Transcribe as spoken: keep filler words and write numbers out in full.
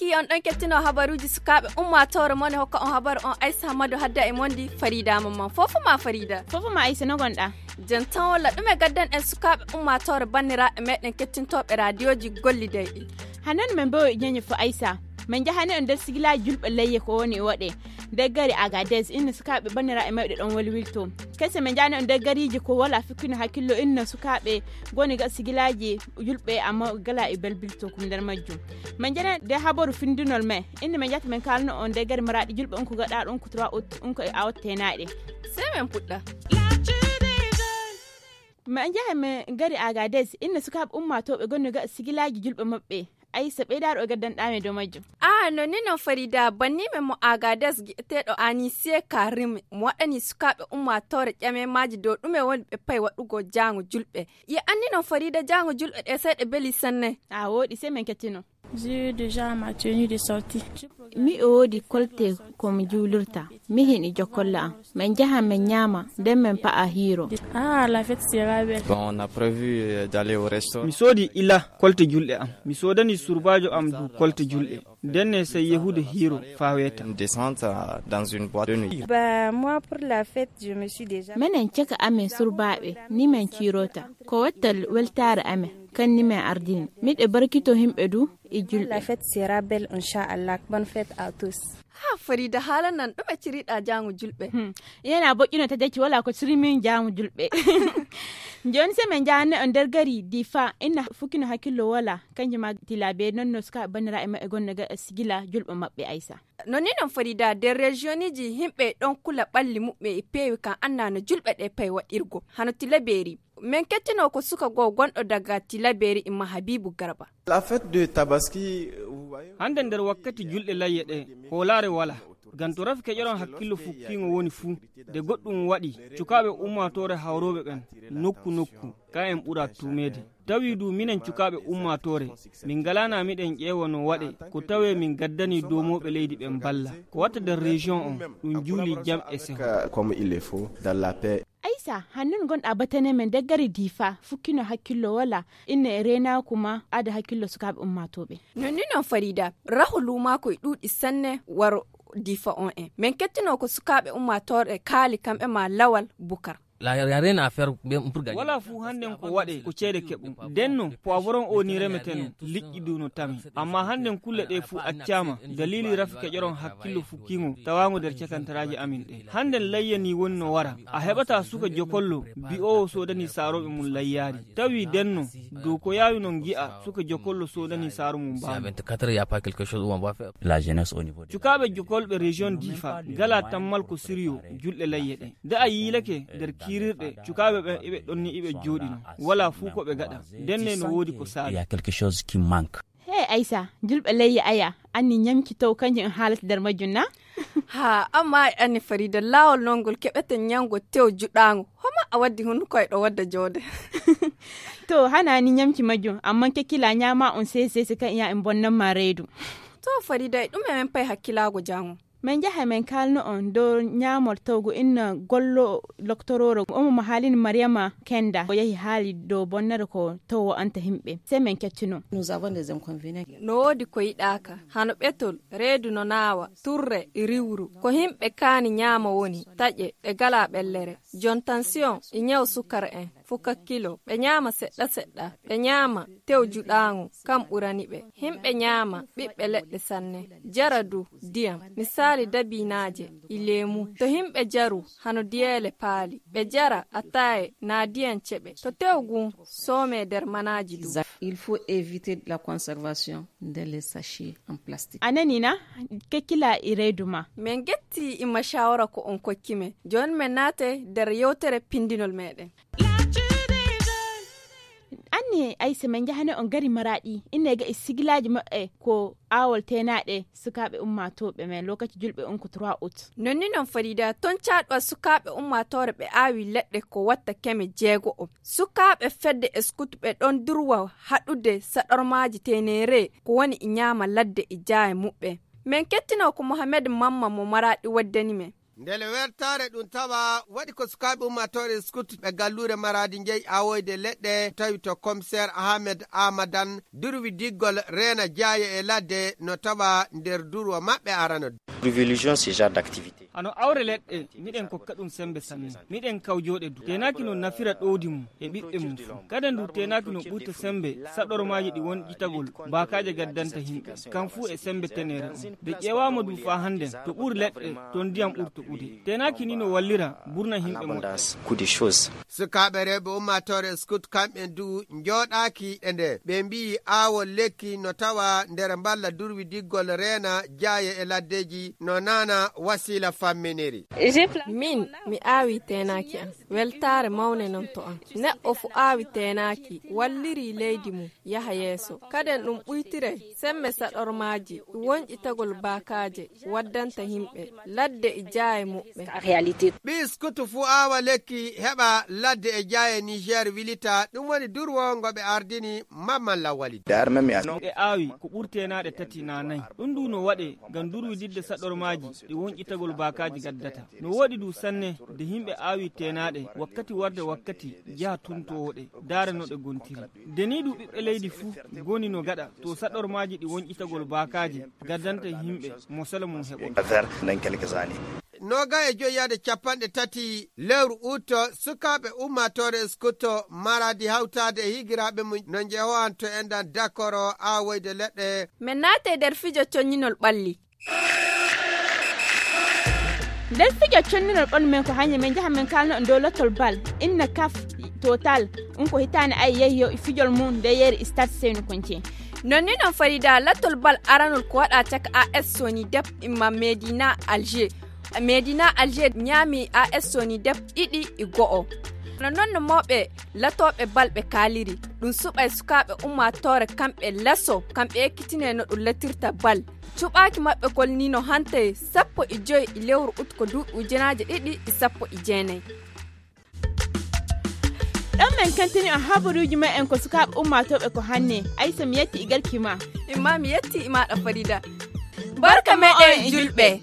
On ɗon kettino habaruuji sukaaɓe ummaatoore mon e hokka on habaru on Aysa Hammadu hadda e mondi Farida Mamman. Fofo ma Farida. Fofo ma Aysa, no gonɗa? Jantan walla ɗume gaddan en sukaaɓe ummaatoore banniraaɓe meɗen kettintooɓe raadiyooji gollidayɗi. Hanan men mbewo e ñeñe fo Aysa. Min njahani on nder sigilaaji julɓe leyye ko woni waɗe. Nder gari Agadez, inna sukaaɓe banniraaɓe meɗe ɗon welwilto. Kese min njahani on nder gariiji ko wala fikkino hakkillo inna sukaaɓe goni ga sigilaaji julɓe amma gala e belbilto kum nder majjum. Min njahani nder habaru findinol men. Inna min njahata min kaalno on nder gari maraaɗi julɓe on ko gaɗa ɗon ko trois août on ko e awat tenaɗe. Sey min puɗɗa. Min njaha min gari Agadez, inna sukaaɓe ummaatooɓe gonno ga sigilaaji julɓe maɓɓe. Aysa ɓeydaaro o gaddanɗaami dow majjum. Aa, no ni non Farida, banniiɓe mo Agadez gi'eteeɗo Anisiye Karim mo waɗani sukaaɓe ummaatoore ƴameemaaji dow ɗume woni ɓe payi waɗugo jaango julɓe. Ye anni non Farida jaango julɓe ɗe sey ɗe beli sanne. A wooɗi, sey min kettino. J'ai eu déjà ma tenue de sortie. Mi woodi kolte ko mi juulirta. Mihin e jokolla am. Min njaha min ñaama, nden min pa'a hiiro. Ah, la fête sera belle. Bon, on a prévu euh, d'aller au restaurant. Mi soodi ila kolte julɗe am. Mi soodani surbaajo am du kolte julɗe. Nden ne sey yehude hiiro faa weeta. Une descente euh, dans une boîte de nuit. Bah, moi, pour la fête, je me suis déjà. Menen caka amen surbaaɓe, ni min ciirota. Ko wattal weltaare amen, kan ni min ardini. Miɗo barkito himɓe du e julɓe. La fête sera belle, inchallah. Bonne fête à tous. Ha Farida, haala nan ɗume ciriɗa jaango julɓe? Hmm. Yana boƴƴuno ta jacci wala ko cirimin jaango julɓe. Joni se min jahane on nder gari Difa, inna fukkino hakkillo wala, kanjum ma Tilabe non no suka bannira e maɓɓe gonno ga sigila julɓe maɓɓe Aysa. No ni non Farida, nder regioniji himɓe ɗon kula ɓalli muɓɓe e peewi kan anna no julɓe ɗe pay waɗirgo. Hano Tilaberi. Min kettino ko suka goo gonɗo daga Tilaberi imma Habibu Garba. La fête de Tabaski, vous voyez. Hannde nder wakkati julɗe layye ɗe, hoolaare wala. Ngam to rafi keƴoron hakkillo fukkiingo woni fuu, nde goɗɗum waɗi, cukaaɓe ummaatoore hawrooɓe ɓen, nokku nokku, ka en ɓura tuumeede. Tawi du minen cukaaɓe ummaatoore, min ngalaana miɗen ƴeewa no waɗe, ko tawee min gaddani doomooɓe leydi ɓen balla. Ko watta nder région on, ɗum juuli jam e seho. Comme il le faut, dans la paix. Aysa, hannun gonɗa batane men daggari Difa, fukkino hakkillo wala, inne e reenaaku ma, ada hakkillo sukaaɓe ummaatooɓe. Non ni non Farida, raho luumaako e ɗuuɗi sanne waro Difa on en. Min kettino ko sukaaɓe ummaatooɓe kaali kamɓe ma Lawal Bukar. La y a rien à faire pour gagner. Wala fuu hannden ko waɗe ko ceede keɓu. Denno, poivron o ni remeteno, liƴƴi du no tami. Amma hannden kulle ɗe fuu accaama, dalili rafi keƴoron hakkillo fukkiingo tawaango nder cakantaraaji amin ɗe. Hannden layya ni woni no wara. A heɓata suka jokollo, bi'oowo soodani saarooɓe mum layyaari. Tawi denno, dow ko yaawi non ngi'a suka jokollo soodani saaro mum Si à baamu. Vingt-quatre heures, il y a pas quelque chose où on va faire. La jeunesse au niveau de. Cukaaɓe jokolɓe région Difa, gala tammal ko siriyo, julɗe layye ɗe. Nde a yiilake nder kiirirɗe, cukaaɓe ɓen iɓe ɗon ni iɓe jooɗino. Wala fuu ko ɓe gaɗa. Ndenne no woodi ko saabi. Il y a quelque chose qui manque. He Aysa, julɓe leyye aya, anni ñamki taw kanjum en haalata nder majjum na? Ha, amma e anni Farida, laawol non ngol keɓeten ñaamgo tew juɗaango. Homa a waddi hunduko e ɗo wadda joode. To, hana ni ñamki majjum, amma kekkila ñaama on sese se kan iya en bonnan ma reedu. To Farida, e ɗum e men pay hakkilaago jaango. Min njaha min kaalno on dow ñaamol tawgo inna gollo loktorooro omo mo haalini Mariyama Kenda. O yahi haali dow bonnere ko tawo anta himɓe. Sey min kettino. Nous avons des inconvénients. No woodi ko yiɗaaka, hano ɓetol, reedu no naawa, turre, riwru. Ko himɓe kaani ñaama woni, taƴe, ɓe gala ɓellere. Jon tansiyon, e ñaw sukara en. Fuka kilo, ɓe ñaama seɗɗa seɗɗa, ɓe ñaama tew juɗaaŋo, kam ɓurani ɓe. Himɓe ñaama ɓiɓɓe leɗɗe sanne, jara du diyam, misaali dabinaaje, e leemu. To himɓe jaru hano diyeele paali, ɓe jara ataaye naa diyam ceɓe. To tew gun soome der manaaji du. Il faut éviter la conservation dans les sachets en plastique. A nani na? Kekkila e reedu ma. Min getti e mashaawara ko on kokki men. Jooni min naate der yewtere pindinol meɗen. Anni Aysa, min njahane on gari Maraaɗi, inne ga e sigilaaji maɓɓe ko aawol teenaaɗe sukaaɓe ummaatooɓe men lokaci julɓe on ko trois août. Non ni non Farida, ton caaɗuwa sukaaɓe ummaatoore ɓe aawi leɗɗe ko watta keme jeego'o. Sukaaɓe fedde e scout ɓe ɗon durwa haɗude saɗormaaji teeneere ko woni e ñaama ladde e jaaye muɓɓe. Min kettino ko Mohamed Mamma mo Maraaɗi waddani men. Ndele wertaare ɗum tawa waɗi ko sukaaɓe ummaatoore Scout ɓe galluure Maraadi njeyi awoyde leɗɗe, tawi to Commissaire Ahmed Amadan durwi diggol reena jaaye e ladde no tawa nder durwo maɓɓe arano. Privilégions ce genre d'activité. Hano awre leɗɗe, miɗen kokka ɗum sembe sanne. Miɗen kawjooɗe du. Teenaaki no nafira ɗowdi mum e ɓiɓɓe mum fuu. Kadi ndu teenaaki no ɓurta sembe saɗormaaji ɗi wonƴitagol baakaaje gaddanta yimɓe. Kam fuu e sembe teneere on. Nde ƴeewaama du faa hannden, to ɓuri leɗɗe, to ndiyam ɓuri toɓude. Teenaaki ni no wallira burna yimɓe moƴƴa. Sukaaɓe rewɓe ummaatoore Scout kamɓe du njooɗaaki e nde. Ɓe mbiyi aawol lekki no tawa nder mballa durwi diggol reena jaaye e laddeeji no naana wasiila famminiri. Min, mi aawi teenaaki am. Weltaare mawne non to am. Neɗɗo fu aawi teenaaki, walliri leydi mum, yaha yeeso. Kaden ɗum ɓuytire, semme saɗormaaji, wonƴitagol baakaaje, waddanta yimɓe, ladde e jaaye muɓɓe. Ɓii Scout fu aawa lekki, heɓa ladde e jaaye Niger wilita, ɗum woni durwo ngo ɓe ardini Mamman Lawali. Ɓe aawi ko ɓuri teenaaɗe tati naa nayi. Ɗum du no waɗe ngam durwididde saɗormaaji ɗi wonƴitagol baakaaji gaddata. No woɗi du sanne nde yimɓe aawi teenaaɗe wakkati warde wakkati jaha tuntoowo ɗe, daara no ɗe gontiri. Nde ni du ɓiɓɓe leydi fuu goni no gaɗa to saɗormaaji ɗi wonƴitagol baakaaji gaddanta yimɓe mo sala mum heɓoto. Noga e joyi yaade capanɗe tati lewru uto, sukaaɓe ummaatoore Scout Maraadi hawtaade e higiraaɓe mum no njehowanto enɗan dakoro aawoyde leɗɗe. Men naate nder fijo conñinol ɓalli. Nder fijo conñinol ɓalli men ko hannde men njaha men kaalno e dow lottol bal, inna kaf, total, ɗum ko hitaande ay yehi yo e fijol mum nde yeeri stade Seynu Konce. Non ni non Farida, lattol bal aranol ko waɗa caka A S Soni Dep imma Medina Alger. Medina Alger ñaami A S Soni Dep ɗiɗi e go'o. No non no mawɓe latooɓe bal ɓe kaaliri, ɗum suɓay sukaaɓe ummaatoore kamɓe laso, kamɓe ekkitinee no ɗum latirta bal. Cuɓaaki maɓɓe kol ni no hantay sappo e joy e lewru ut ko duuɓi ujunaaje ɗiɗi e sappo e jeenay. Ɗon men kentini on habaruuji men en ko sukaaɓe ummaatooɓe ko hannde. Aysa, mi yetti e garki ma. Imma mi yetti e maaɗa Farida. Barka men on julɓe.